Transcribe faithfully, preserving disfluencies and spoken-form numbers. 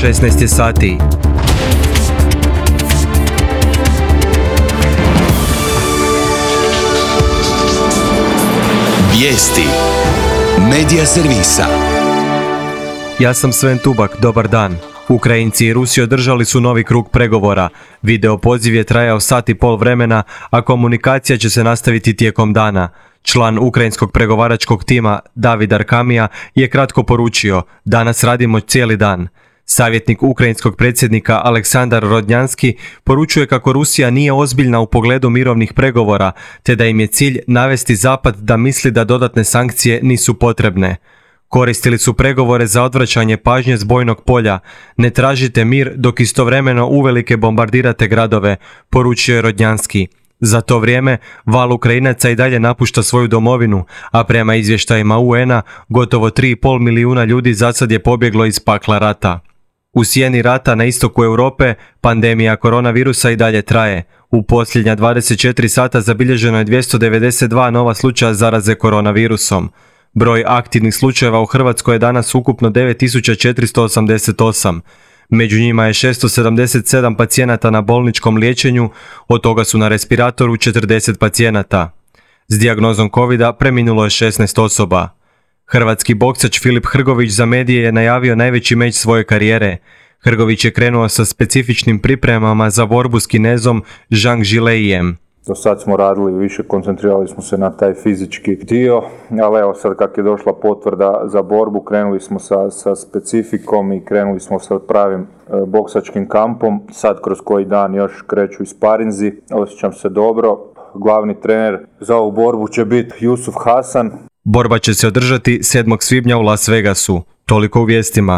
šesnaest je sati. Vijesti Medija servisa. Ja sam Sven Tubak, dobar dan. Ukrajinci i Rusi održali su novi krug pregovora. Video poziv je trajao sat i pol vremena, a komunikacija će se nastaviti tijekom dana. Član ukrajinskog pregovaračkog tima David Arkamija je kratko poručio: danas radimo cijeli dan. Savjetnik ukrajinskog predsjednika Aleksandar Rodnjanski poručuje kako Rusija nije ozbiljna u pogledu mirovnih pregovora, te da im je cilj navesti Zapad da misli da dodatne sankcije nisu potrebne. Koristili su pregovore za odvraćanje pažnje s bojnog polja. Ne tražite mir dok istovremeno uvelike bombardirate gradove, poručio je Rodnjanski. Za to vrijeme val Ukrajinaca i dalje napušta svoju domovinu, a prema izvještajima U N-a gotovo tri i pol milijuna ljudi zasad je pobjeglo iz pakla rata. U sjeni rata na istoku Europe pandemija koronavirusa i dalje traje. U posljednja dvadeset četiri sata zabilježeno je dvjesto devedeset dva nova slučaja zaraze koronavirusom. Broj aktivnih slučajeva u Hrvatskoj je danas ukupno devet tisuća četiristo osamdeset osam. Među njima je šesto sedamdeset sedam pacijenata na bolničkom liječenju, od toga su na respiratoru četrdeset pacijenata. S dijagnozom covida preminulo je šesnaest osoba. Hrvatski boksač Filip Hrgović za medije je najavio najveći meč svoje karijere. Hrgović je krenuo sa specifičnim pripremama za borbu s Kinezom Zhang Zileijem. Do sad smo radili više, koncentrirali smo se na taj fizički dio, ali evo sad kak je došla potvrda za borbu, krenuli smo sa, sa specifikom i krenuli smo sa pravim e, boksačkim kampom. Sad kroz koji dan još kreću i sparinzi, osjećam se dobro. Glavni trener za ovu borbu će biti Jusuf Hasan. Borba će se održati sedmog svibnja u Las Vegasu. Toliko u vijestima.